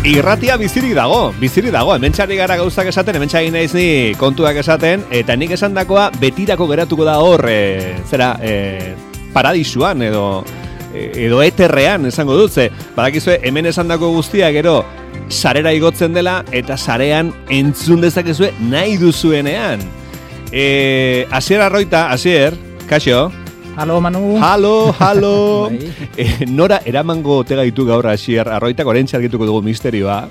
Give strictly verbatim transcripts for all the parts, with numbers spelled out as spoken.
Irratia bizirik dago, bizirik dago, hemen txarri gara gauzak esaten, hemen txari naiz ni kontuak esaten, eta nik esandakoa betirako geratuko da hor, e, zera, e, paradisuan edo, edo eterrean esango dut, ze, badakizue, hemen esandako guztia gero, sarera igotzen dela, eta sarean entzun dezakezue nahi duzuenean. E, Asier Arroita, Asier, kaixo? Halo, Manu. Halo, halo. eh, nora eramango ote gaitu gaur Asier Arroitak oraintxe argituko dugu misterioa.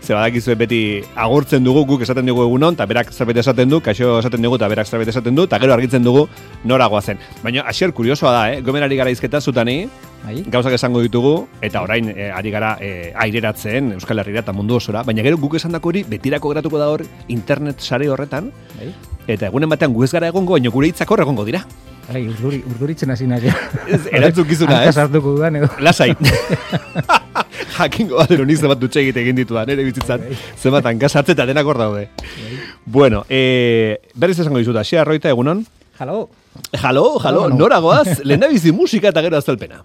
Ze badakizue beti agurtzen dugu, guk esaten dugu egunon, eta berak zerbait esaten du, kaixo esaten dugu, eta berak zerbait esaten du, eta gero argitzen dugu nora goazen. Baina Asier kuriosoa da, eh? Gomenari gara izketa zutani, Ai. gauzak esango ditugu, eta orain eh, ari gara eh, aireratzen Euskal Herrira eta mundu osora, baina gero guk esandako hori betirako geratuko da hor internet sare horretan, Ai. eta egunen batean gu ez gara egongo, baina gure hitzak hor egongo dira. Ai, urduri, urduritzen hasi nahi. Erantzukizuna, ez? Hartuko dudan, edo. Lasai. Jakingo bat ero niz zebat dutxe egite egin ditudan, ere bizitzan. Zebat hankasartze eta denak hor daude. Bueno, eh, berriz esango dizuta, Asier Arroita, egunon? Halo. Halo, halo, nora goaz, lehen da bizi musika eta gero azalpena.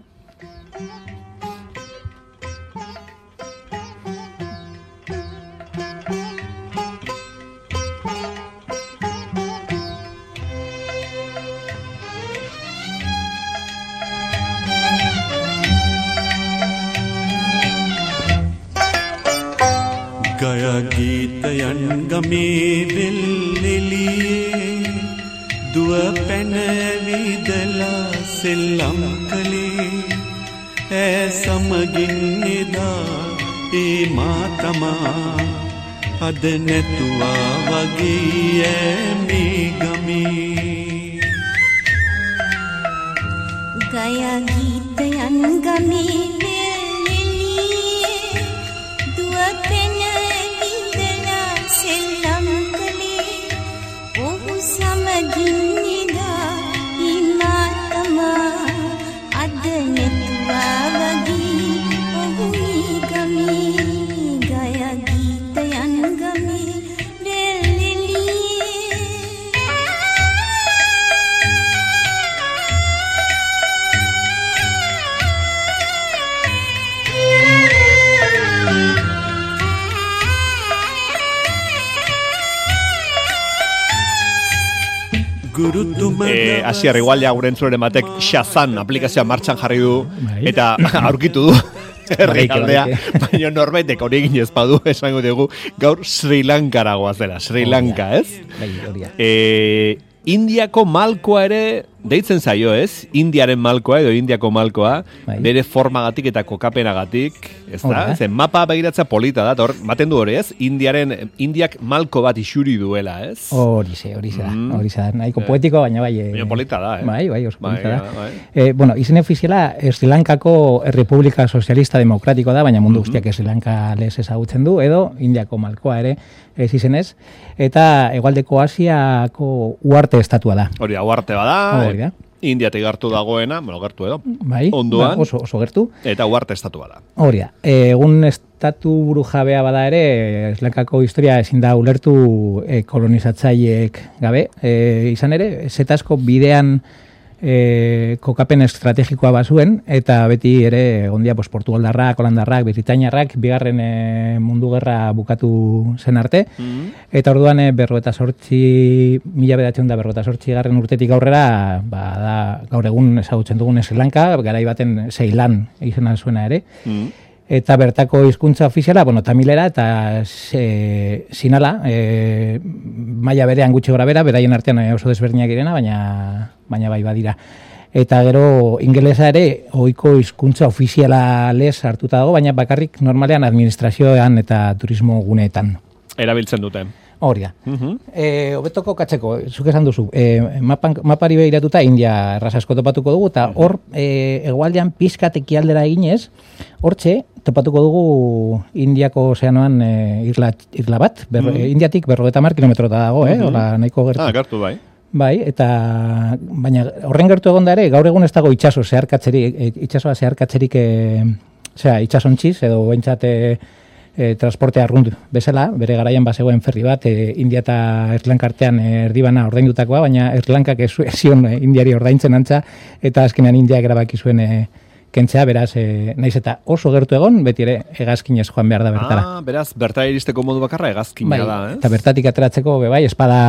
ගය ගීතයන් ගමේ වෙල්ෙලියේ දුව පැනවිදලා සෙල්ලම් කළේ ඈ සමගින් එදා ඒ මා තමා අද නැතුවා වගේ ඈ මේ ගමේ ගය ගීතයන් ගමේ Eh, Asier, igual ja gure entzuren batek Shazam aplikazioa martxan jarri du eta aurkitu du herrialdea, baina norbaitek hori egin ez badu esango dugu gaur Sri Lankara goazela, Sri Lanka, ez? Eh, Indiako malkoa ere deitzen zaio, ez? Indiaren malkoa edo Indiako malkoa, bai. Bere formagatik eta kokapenagatik, ez da? Zen mapa begiratza polita da, hor, baten du hori, ez? Indiaren, Indiak malko bat isuri duela, ez? Hori ze, hori ze da, hori ze da, nahiko poetiko, baina bai... Baina polita da, eh? Bai, bai, oso polita bai, da. Bai. Eh, bueno, izen ofiziala Sri Lankako Republika Sozialista Demokratiko da, baina mundu guztiak Sri Lanka lez ezagutzen du, edo Indiako malkoa ere, ez izenez, eta hegoaldeko Asiako uarte estatua da. Hori da, uarte bada, hori da. Indiatik gertu dagoena, bueno, gertu edo, bai, onduan, ba, oso, oso gertu. Eta uarte estatua da. Hori da, egun estatu burujabea bada ere, Sri Lankako historia ezin da ulertu e, kolonizatzaileek gabe. E, izan ere, zetasko bidean e, kokapen estrategikoa bazuen, eta beti ere ondia pues, Portugaldarrak, Holandarrak, Britainiarrak, bigarren e, mundu gerra bukatu zen arte, mm-hmm. eta orduan e, berroeta sortzi, mila bedatzen da berroeta sortzi garren urtetik aurrera, ba, da, gaur egun ezagutzen dugun Sri Lanka, garai baten Ceylan izena zuena ere, mm-hmm. eta bertako hizkuntza ofiziala, bueno, tamilera eta e, sinala, e, maila berean gutxi gora bera, beraien artean oso desberdinak direna, baina, baina bai badira. Eta gero ingelesa ere ohiko hizkuntza ofiziala lez hartuta dago, baina bakarrik normalean administrazioan eta turismo guneetan. Erabiltzen dute. Hori da. Uh-huh. E, obetoko katzeko, zuk esan duzu, e, mapan, mapari behiratuta India erraz asko topatuko dugu, eta hor e, egualdean pizkat ekialdera eginez, hortxe topatuko dugu Indiako ozeanoan e, irla, irla bat, ber, uh-huh. Indiatik berrogeta mar kilometrota dago, eh? Uh-huh. Ola, nahiko gertu. Ah, gertu bai. Bai, eta baina horren gertu egon da ere, gaur egun ez dago itxaso zeharkatzerik, itxasoa zeharkatzerik, e, zera, itxasontziz, edo bentsate E, transporte arrunt bezala, bere garaian bazegoen ferri bat, e, India eta Erlanka artean e, erdibana ordaindutakoa, baina Erlankak ez zion e, Indiari ordaintzen antza, eta azkenean Indiak erabaki zuen e, kentzea, beraz, e, naiz eta oso gertu egon, beti ere hegazkinez joan behar da bertara. Ah, beraz, bertara iristeko modu bakarra hegazkina bai, da, ez? Eta bertatik ateratzeko, be bai, espada,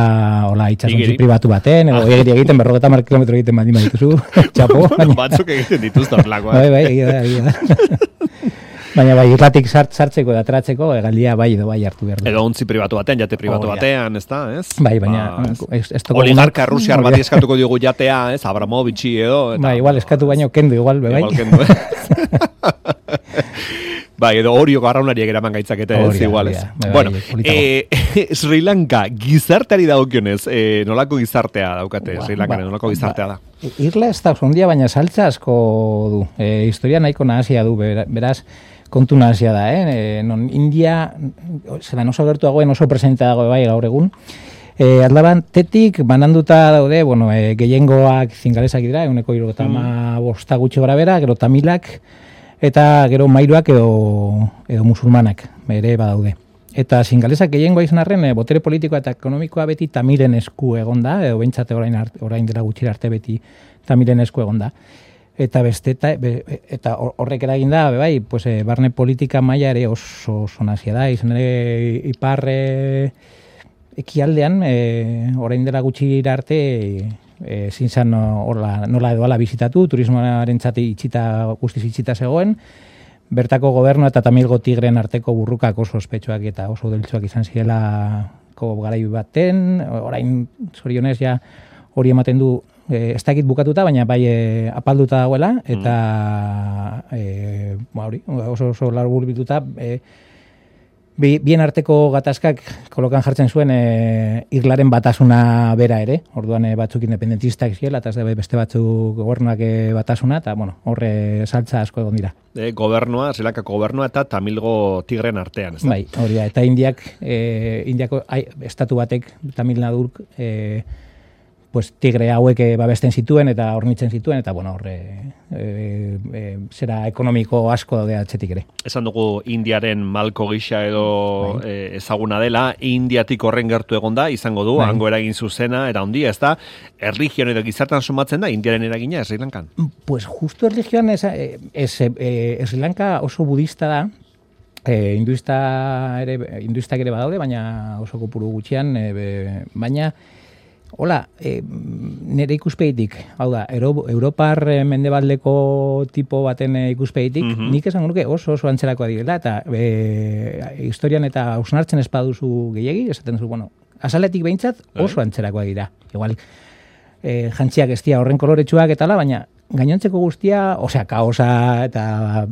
hola, itxasontzi pribatu baten, edo egiri egiten, berrogeta mar kilometro egiten baldin badituzu, txapo. Baina... Batzuk egiten dituzte horrelakoa. Bai, bai, egia da, egia da. Baina bai, irlatik sart, sartzeko eta ateratzeko, egaldia bai edo bai hartu behar du. Edo ontzi pribatu batean, jate pribatu oh, batean, ez da, ez? Bai, baina... Ba, ez, ez toko oligarka rusiar bat eskatuko diogu jatea, ez? Abramovitxi edo... Eta, bai, igual eskatu baino kendu, igual, bai. Igual kendu, bai, edo orioko arraunariek eraman gaitzakete, ez, igual, ez. Bai, bueno, bai, eh, Sri Lanka, gizarteari dagokionez, eh, nolako gizartea daukate, Sri Lanka, ba, nolako gizartea da? Irla ez da ondia, baina saltza asko du. E, historia nahiko nahasia du, beraz, kontu nahasia da, eh? Non India, zelan oso gertuagoen oso presenta dago bai gaur egun, e, atlaban tetik bananduta daude, bueno, e, gehiengoak zingalesak dira, eguneko irogeta mm. bosta gutxi gora bera, gero tamilak, eta gero mairuak edo, edo musulmanak, ere badaude. Eta zingalesak gehiengoa izan arren, e, botere politikoa eta ekonomikoa beti tamilen esku egonda, edo behintzate orain, orain dela gutxira arte beti tamilen esku egonda. Eta beste eta, eta horrek eragin da, bai, pues, e, barne politika maila ere oso oso nazia da, izan ere ipar e, ekialdean, e, orain dela gutxi arte, e, zintzan nola, nola edo ala bizitatu, turismoaren txati itxita, guztiz itxita zegoen, bertako gobernu eta tamilgo tigren arteko burrukak oso ospetsuak eta oso deltsuak izan zielako garai baten, orain zorionez ja hori ematen du, E, ez dakit bukatuta, baina bai e, apalduta dagoela, eta mm. e, ba, hori, oso oso larbur bituta, e, bi, bien arteko gatazkak kolokan jartzen zuen e, Irlaren batasuna bera ere, orduan e, batzuk independentistak ziela, eta beste batzuk gobernuak e, batasuna, eta bueno, horre saltza asko egon dira. E, gobernua, Sri Lankako gobernua eta Tamilgo tigren artean, ez da? Bai, hori da, eta Indiak, e, Indiako ai, estatu batek, Tamil Nadurk, e, pues tigre hauek babesten zituen eta hornitzen zituen, eta bueno, horre e, e, zera ekonomiko asko daude atzetik ere. Esan dugu Indiaren malko gisa edo bai. e, ezaguna dela, Indiatik horren gertu egonda, izango du, bai. Hango eragin zuzena, era handia, ez da, erligion edo gizartan sumatzen da, Indiaren eragina Sri Lankan? Pues justo erligioan ez, ez, ez Sri Lanka oso budista da, e, hinduista ere, hinduistak ere badaude, baina oso kopuru gutxian, e, be, baina hola, e, nire ikuspegitik, hau da, Euro, Europar mendebaldeko tipo baten ikuspegitik, mm-hmm. nik esan nuke oso oso antzerakoa direla, eta e, historian eta hausnartzen espaduzu gehiegi, esaten duzu, bueno, azaletik behintzat oso antzerakoa dira. Igual, e, jantziak ez dira horren koloretsuak eta la, baina gainontzeko guztia, osea, kaosa eta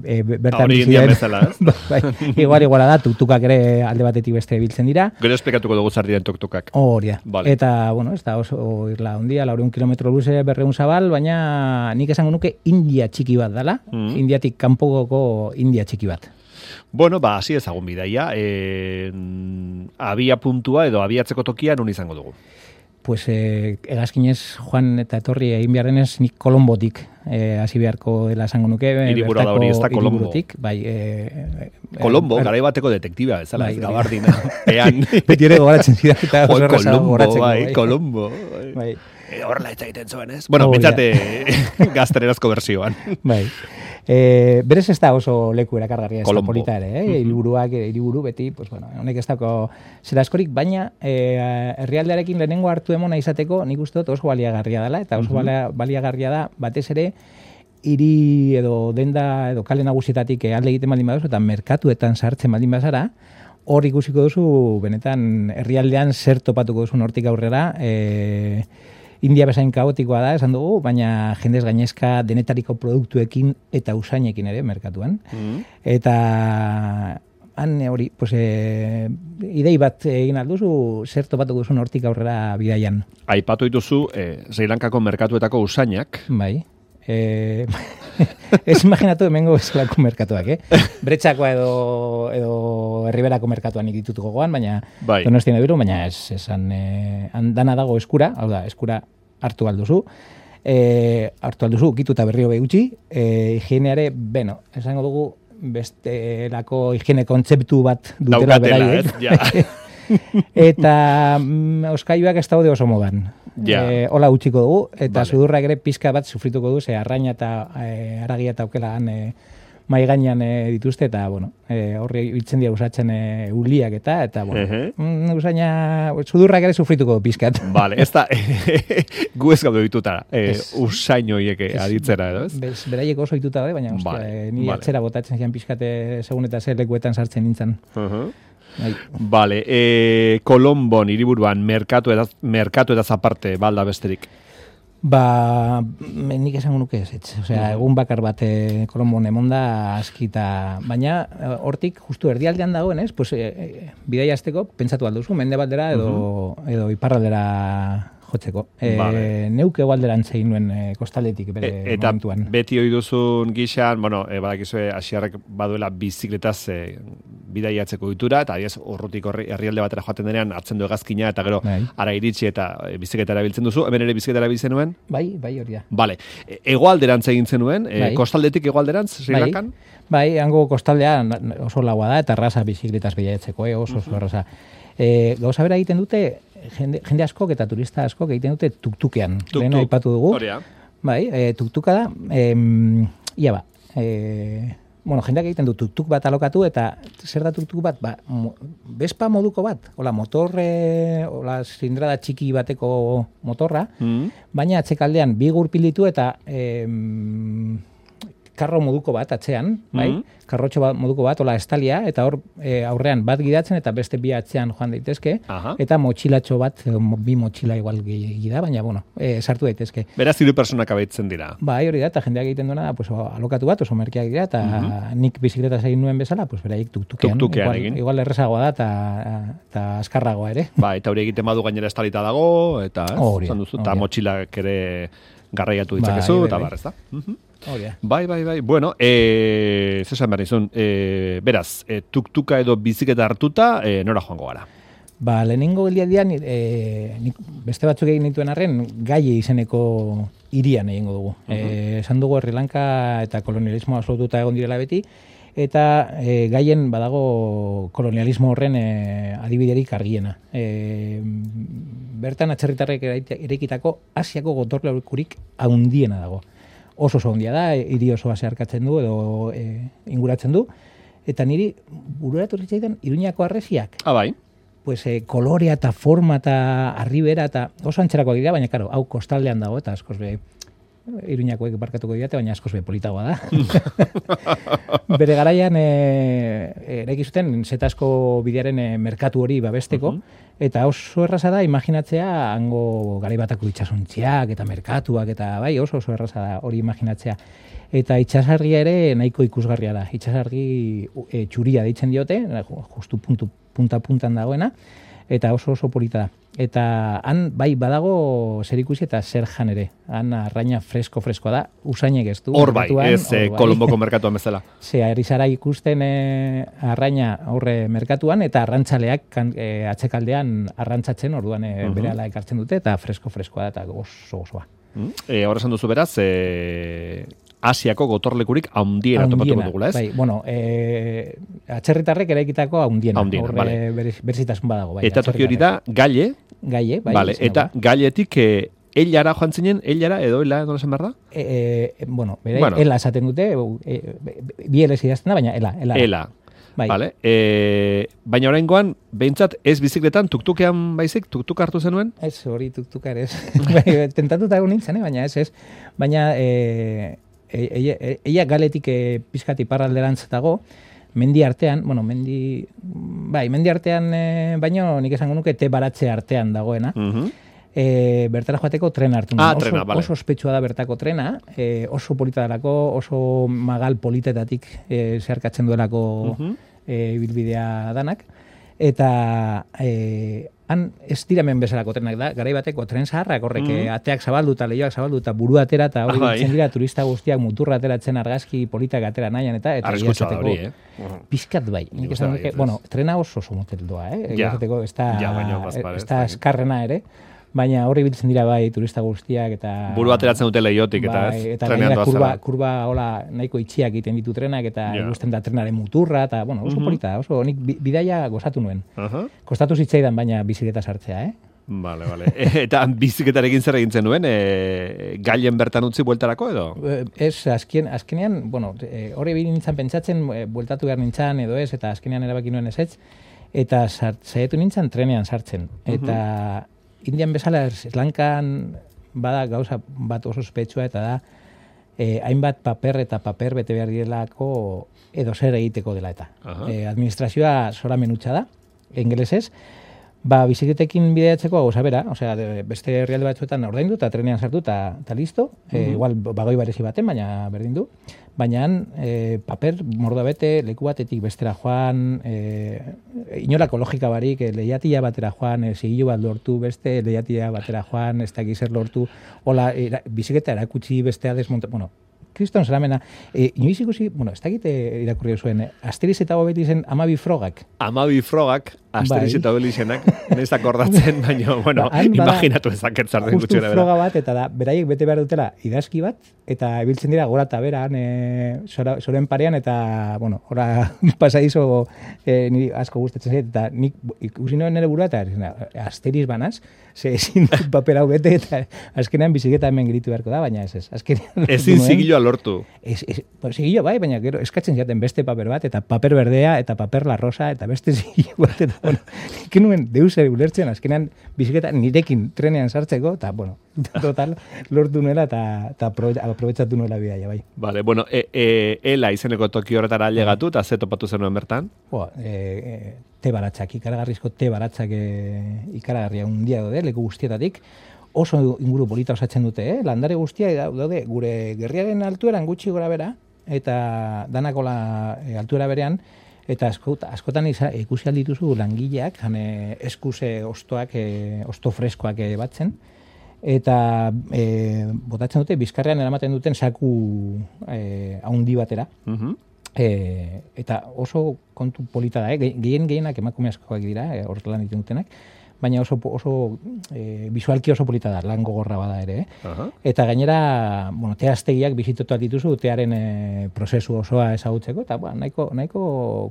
e, bertan bizien. Bezala, ez? Bai, igual, iguala da, tuktukak ere alde batetik beste biltzen dira. Gero esplikatuko dugu zer diren tuktukak. Hori da. Vale. Eta, bueno, ez da oso irla ondia, laureun kilometro luze, berreun zabal, baina nik esango nuke India txiki bat dala, mm. Indiatik kanpoko India txiki bat. Bueno, ba, hasi ezagun bidaia, e, abia puntua edo abiatzeko tokia non izango dugu? Pues eh, egazkinez joan eta etorri egin behar denez nik Kolombotik eh, hasi beharko dela esango nuke. Hiriburu da hori, ez da Kolombo. Bai, eh, Kolombo, eh, garai bateko detektiba, ez bai, gabardina. Ean. Beti ere gogoratzen zidak eta oso erraza gogoratzeko. Bai, Kolombo. Bai. Horrela eta egiten zuen, ez? Bueno, bitzate gaztenerazko bersioan. Bai. E, berez ez da oso leku erakargarria ez da polita ere, eh? Hiriburuak, hiriburu beti, pues bueno, honek ez dako zera askorik, baina e, herrialdearekin lehenengo hartu emona izateko nik uste dut oso baliagarria dela, eta oso uh-huh. baliagarria da batez ere hiri edo denda edo kale nagusietatik alde egiten baldin baduzu eta merkatuetan sartzen baldin bazara, hor ikusiko duzu benetan herrialdean zer topatuko duzu hortik aurrera, e, India bezain kaotikoa da, esan dugu, baina jendez gainezka denetariko produktuekin eta usainekin ere merkatuan. Mm. Eta han hori, pues, e, idei bat egin alduzu, zer topatuko duzun hortik aurrera bidaian. Aipatu dituzu, eh, Sri Lankako merkatuetako usainak. Bai. Eh, ez imaginatu hemengo bezalako merkatuak, eh? Bretxakoa edo, edo herriberako merkatuan ikitut gogoan, baina bai. Donostien ebiru, baina ez, esan, eh, dana dago eskura, hau da, eskura hartu alduzu, eh, hartu alduzu, ukituta berrio behutxi, eh, higieneare, beno, esango dugu, bestelako higiene kontzeptu bat dutela beraiek. Ja. Eta mm, oskailuak ez daude oso modan. Ja. e, hola utziko dugu, eta Vale. sudurrak ere pizka bat sufrituko du, ze arraina eta e, aragia eta aukela han e, mai gainean e, dituzte, eta, bueno, e, horri biltzen dira usatzen e, uliak eta, eta, bueno, Ehe. mm, usaina, sudurrak ere sufrituko du pizkat. Vale, ez da, gu ez gaude dituta, eh, Ez. usain horiek Ez. aditzera, edo ez? Bez, beraiek oso dituta daude, baina, ostia, Vale, e, ni vale. atzera botatzen zian pizkate segun eta zer lekuetan sartzen nintzen. Uh-huh. Bai. Vale, eh, Kolombon, hiriburuan, merkatu eta, merkatu eta zaparte, balda besterik. Ba, me- nik esango nuke ez, etz. Osea, egun bakar bat e, Kolombon emonda askita, baina eh, hortik justu erdialdean dagoen, ez? Pues, e, e, bidaia azteko, pentsatu alduzu, mende baldera edo, edo iparraldera jotzeko. E, Vale. Neuk egualderan zein nuen e, kostaldetik bere E, eta momentuan. beti ohi duzun gixan, bueno, e, badakizue asiarrek baduela bizikletaz e, bidaiatzeko ditura, eta adiez, urrutik horri herrialde batera joaten denean hartzen du hegazkina, eta gero Bai. ara iritsi eta e, bizikleta erabiltzen duzu, hemen ere bizikleta erabiltzen nuen. Bai, bai hori da. Vale, e, hegoalderantz egin zenuen, e, Bai. kostaldetik hegoalderantz, Sri Bai, Lankan? bai, hango kostaldea oso laua da, eta erraza bizikletaz bidaiatzeko, eh? oso oso erraza. E, gauza bera egiten dute, jende, jende askok eta turista askok egiten dute tuktukean. Tuk-tuk. Lehen aipatu dugu. Hori da. Bai, e, tuktuka da, em, ia ba, e, bueno, jendeak egiten du tuktuk bat alokatu, eta zer da tuktuk bat? Ba, mo, Vespa moduko bat, hola motorre, hola zilindrada txiki bateko motorra, Mm. baina atzekaldean bi gurpil ditu eta em, karro moduko bat atzean, bai? Mhm. Karrotxo bat, moduko bat, hola estalia, eta hor e, aurrean bat gidatzen eta beste bi atzean joan daitezke, Aha. eta motxilatxo bat, e, mo- bi motxila igual gehiagi da, baina, bueno, e, sartu daitezke. Beraz, hiru personak abaitzen dira. Bai, hori da, eta jendeak egiten duena da, pues, alokatu bat, oso merkeak dira, eta nik bizikletaz egin nuen bezala, pues, beraiek tuktukean. Tuktukean igual, egin. igual errezagoa da, eta, eta azkarragoa ere. Ba, eta hori egiten badu gainera estalita dago, eta ez, Hori da, esan duzu, hori eta da. motxilak ere garraiatu Bai, ditzakezu, bai, eta bai. bar, ez da? Mhm. Hori da. Bai, bai, bai. Bueno, eh, zesan behar nizun, eh, beraz, eh, tuktuka edo bizikleta hartuta, eh, nora joango gara? Ba, lehenengo geldialdian, e, nik beste batzuk egin dituen arren, Gaie izeneko hirian egingo dugu. E, esan dugu Sri Lanka eta kolonialismoa absolututa egon direla beti, eta e, Gaien badago kolonialismo horren e, adibiderik argiena. E, bertan atzerritarrek eraite- eraikitako Asiako gotorlekurik haundiena dago. Oso oso handia da, hiri osoa zeharkatzen du edo e, inguratzen du, eta niri bururatu zitzaidan Iruñako harresiak, Ah, bai. pues, e, kolorea eta forma eta arribera eta oso antzerakoak dira, baina karo, hau kostaldean dago eta askoz be Iruñakoek barkatuko didate, baina askoz be politagoa da. Bere garaian e, eraiki zuten Zetasko bidearen e, merkatu hori babesteko, eta oso erraza da imaginatzea hango garai batako itsasontziak eta merkatuak eta bai oso oso erraza da hori imaginatzea. Eta itsasargia ere nahiko ikusgarria da. Itsasargi e, txuria deitzen diote, justu puntu, punta puntan dagoena, eta oso oso polita da. Eta han bai badago zer ikusi eta zer jan ere. Han arraina fresko-freskoa da, usainek ez du. Hor bai, merkatuan, ez eh, hor bai. Kolomboko merkatuan bezala. Ze, ari zara ikusten e, arraina horre merkatuan, eta arrantzaleak kan, e, atzekaldean arrantzatzen, orduan e, Mhm. berehala ekartzen dute, eta fresko-freskoa da, eta oso osoa. Mm. Eh, Horra esan duzu beraz, eh, Asiako gotorlekurik haundiena topatuko Haundiena, dugula, ez? Bai, bueno, e, atzerritarrek eraikitako haundiena. Haundiena, Horre vale. berez- berezitasun badago. Bai, Eta toki hori da, gaile, Gaie, bai. vale, izena eta da. gailetik eh, eilara joan zinen, eilara edo ela, nola esan behar da? E, e, bueno, bere, Bueno. ela esaten dute, e, bi eles idazten da, baina ela, ela. Ela. Bai. Vale. E, baina oraingoan, behintzat ez bizikletan, tuktukean baizik, tuktuk hartu zenuen? Ez, hori tuktuka ere ez. Bai, tentatuta egon nintzen, eh? baina ez, ez. Baina, e, e, e, e, eia galetik e, pizkat iparralderantz dago, mendi artean, bueno, mendi, bai, mendi artean, e, baino nik esango nuke te baratze artean dagoena. Mhm. E, bertara joateko trena hartu Ah, nuen. trena, oso, vale. oso ospetsua da bertako trena, e, oso polita delako, oso magal politetatik e, zeharkatzen duelako Mhm. e, bilbidea danak, eta e, han ez diramen bezalako trenak da, garai bateko tren zaharrak horrek Mhm. ateak zabaldu eta leioak zabaldu eta burua atera eta hori Ah, bai. biltzen dira turista guztiak muturra ateratzen argazki politak atera nahian eta eta Arriskutsua da egia hori, esateko, eh? pizkat bai. Nik Nik esan uste nuke, baietz, bueno, ez. trena oso oso motel doa, eh? Egia Ja. esateko, ez da, Ja, baina bazpare, ez ez da da. eskarrena ere, baina horri biltzen dira bai turista guztiak eta... Buru ateratzen dute leiotik, eta bai, ez? eta Trenean gainera kurba, doazela. kurba hola nahiko itxiak egiten ditu trenak eta Ja. ikusten da trenaren muturra eta bueno, oso Mhm. polita, oso nik bi- bidaia gozatu nuen. Aha. Kostatu zitzaidan baina bizikleta sartzea, eh? Vale, vale. Eta biziketarekin zer egin zenuen, e, gailen bertan utzi bueltarako edo? Ez, azken, azkenean, bueno, hori e, nintzen pentsatzen, e, bueltatu behar nintzen edo ez, eta azkenean erabaki nuen ez ez, eta saietu nintzen trenean sartzen. Eta uh-huh. Indian bezala Sri Lankan bada gauza bat oso ospetsua, eta da, e, hainbat paper eta paper bete behar direlako edo zer egiteko dela eta. Uh-huh. E, administrazioa zora menutxa da, ingelesez, ba, biziketekin bideatzeko gauza bera, osea, beste herrialde batzuetan ordaindu eta trenean sartu eta listo, uh-huh. e, igual bagoi barezi baten, baina berdin du, baina e, paper mordoa bete, leku batetik bestera joan, e, inolako logika barik, e, lehiatia batera joan, e, zigillo bat lortu, beste lehiatia batera joan, ez dakiz zer lortu, hola, era, biziketa erakutsi bestea desmonta, bueno, kriston zeramena, e, inoiz ikusi, bueno, ez dakit irakurri zuen, Asteriz eta Obelizen Amabi Frogak. Amabi Frogak, Asteriz eta Obelizenak, nez akordatzen, baina, bueno, ba, imaginatu ezaket zarten gutxera bera. Justu froga bat, eta da, beraiek bete behar dutela idazki bat, eta ibiltzen dira gora eta beran, e, zoren parean, eta, bueno, ora pasadizo e, niri asko gustatzen zait, eta nik ikusi noen nire burua, eta Asteriz banaz, ze ezin paper hau bete, eta azkenean biziketa hemen giritu beharko da, baina ez ez. Azkenean ezin zigilloa lortu. Ez, ez, zigillo bai, baina gero eskatzen jaten beste paper bat, eta paper berdea, eta paper la rosa, eta beste zigillo bat, eta, bueno, ikenuen deuse ulertzen, azkenean biziketa nirekin trenean sartzeko, eta, bueno, total, lortu nuela, eta aprobetsatu nuela bidaia, bai. Vale, bueno, e, e, ela izeneko toki horretara llegatu, eta ze topatu zenuen bertan? Boa, e, e, te baratzak, ikaragarrizko te baratzak e, ikaragarria un dia daude, leku guztietatik, oso inguru polita osatzen dute, eh? Landare guztia daude, gure gerriaren altueran gutxi gora bera, eta danakola e, altuera berean, eta askot, askotan isa, ikusi aldituzu langileak, hane eskuse ostoak, e, osto freskoak e, batzen, eta e, botatzen dute, bizkarrean eramaten duten saku e, haundi batera, uh-huh. E, eta oso kontu polita da, eh? Gehien gehienak emakume askoak dira, eh? Hor lan egiten dutenak, baina oso, oso e, visualki oso polita da, lan gogorra bada ere. Eh? Uh-huh. Eta gainera, bueno, teaztegiak bizitotu dituzu, tearen e, prozesu osoa ezagutzeko, eta ba, nahiko, nahiko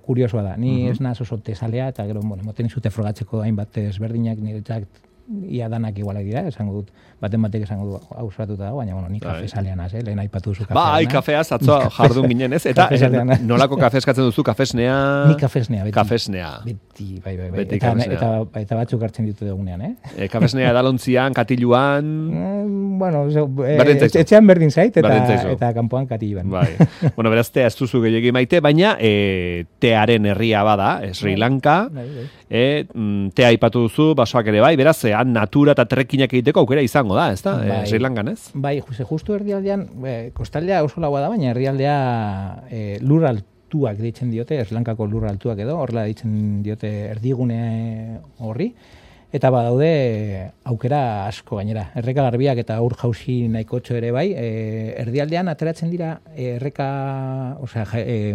kuriosoa da. Ni uh-huh. ez naz oso tezalea, eta gero, bueno, moten izute frogatzeko hainbat ezberdinak, niretzak ia danak igualak dira, esango dut, baten batek esango du hausratuta dago, baina, bueno, ni kafe zalean az, eh? Lehen aipatu duzu kafea. Ba, hai kafeaz, atzoa jardun ginen ez, eta nolako kafe eskatzen duzu, kafesnea? Ni kafesnea, beti. Kafesnea. Beti, bai, bai, bai. Beti eta, kafesnea. Eta, eta, eta batzuk hartzen ditu dugunean, eh? E, kafesnea edalontzian, katiluan... Mm, bueno, so, e, etxean berdin zait, eta, eta kanpoan katiluan. Bai. Bueno, beraz, tea ez duzu gehiagi maite, baina e, tearen herria bada, Sri Lanka, bai, bai. E, tea aipatu duzu, basoak ere bai, beraz, e, natura eta trekinak egiteko aukera izango da, ez da? Bai. E, Sri Lankan, ez? Bai, justu erdialdean, e, kostaldea oso laua da, baina erdialdea e, lur altuak deitzen diote, Sri Lankako lur altuak edo, horrela deitzen diote erdigune horri, eta badaude aukera asko gainera. Erreka garbiak eta ur jauzi nahikotxo ere bai, e, erdialdean ateratzen dira e, erreka, osea, e,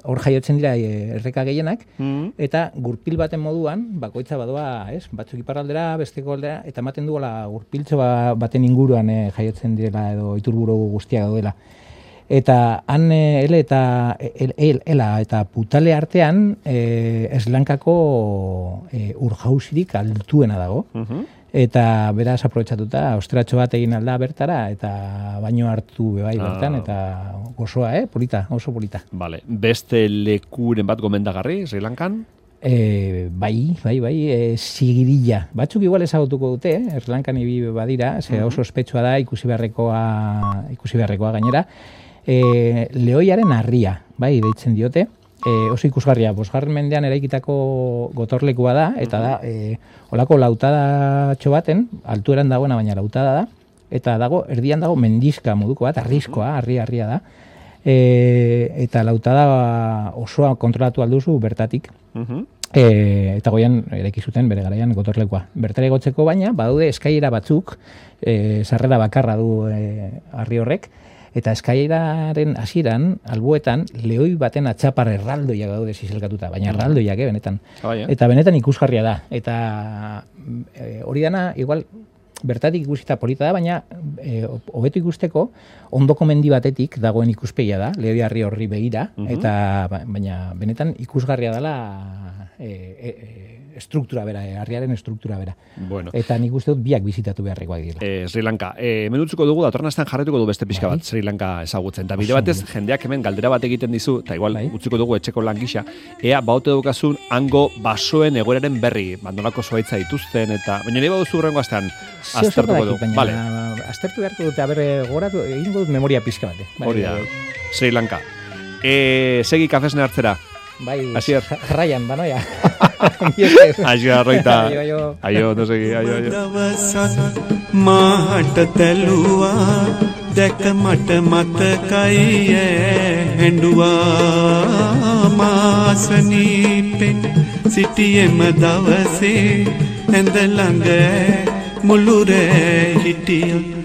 hor jaiotzen dira erreka gehienak, mm. eta gurpil baten moduan, bakoitza badoa, ez, batzuk iparraldera, besteko aldera, eta ematen duela gurpiltxo baten inguruan eh, jaiotzen direla edo iturburu guztiak daudela. Eta han eh, ele eta el, el, ela eta putale artean eh, Sri Lankako eh, urjauzirik altuena dago. Uh-huh. Eta beraz aprobetxatuta, ostratxo bat egin alda bertara, eta baino hartu bebai bertan, ah. eta osoa, eh? Polita, oso polita. Vale. Beste lekuren bat gomendagarri, Sri Lankan? E, bai, bai, bai, e, zigirilla. Batzuk igual ezagutuko dute, eh? Sri Lankan ibi badira, ze oso ospetsua da, ikusi beharrekoa, ikusi beharrekoa gainera. E, lehoiaren harria, bai, deitzen diote. E, oso ikusgarria, bosgarren mendean eraikitako gotorlekua da, eta da, e, olako lautada baten, altueran dagoena baina lautada da, eta dago, erdian dago mendizka moduko bat, arriskoa, harri-harria da, e, eta lautada osoa kontrolatu alduzu bertatik, uh-huh. e, eta goian eraiki zuten bere garaian gotorlekua. Bertara egotzeko baina, badaude eskailera batzuk, e, sarrera bakarra du e, harri horrek, eta eskailaren hasieran alboetan, lehoi baten atxapar erraldoiak daude zizelkatuta, baina erraldoiak, eh, benetan. Oh, yeah. Eta benetan ikusgarria da. Eta e, hori dana, igual, bertatik ikusita polita da, baina e, hobeto ikusteko ondoko mendi batetik dagoen ikuspegia da, Lehoiarri horri begira, uh-huh. eta baina benetan ikusgarria dela e, e, e, estruktura bera, e, harriaren estruktura bera. Bueno. Eta nik uste dut biak bizitatu beharrekoak dira. E, Sri Lanka. E, menutzuko dugu, datorren astean jarretuko du beste pixka bat Sri Lanka ezagutzen. Eta bide batez, jendeak hemen galdera bat egiten dizu, eta igual bai. utziko dugu etxeko lan gisa, ea baute dukazun hango basoen egoeraren berri, bandolako zuaitza dituzten, eta baina nire baduzu hurrengo astean aztertuko dugu. Baina vale. aztertu beharko dute, aber, goratu, egingo dut memoria pixka bat. Bai, hori da, Sri Lanka. E, segi kafesne hartzera. Bai, Asier. Jarraian, banoia. Asier, arroita. Aio, no segi, aio, aio. මාට තැලුවා දැක මට මතකයි හැඬුවා මාසනීපෙන් සිටියෙම දවසේ ඇඳ ළඟ මුළුරේ හිටියා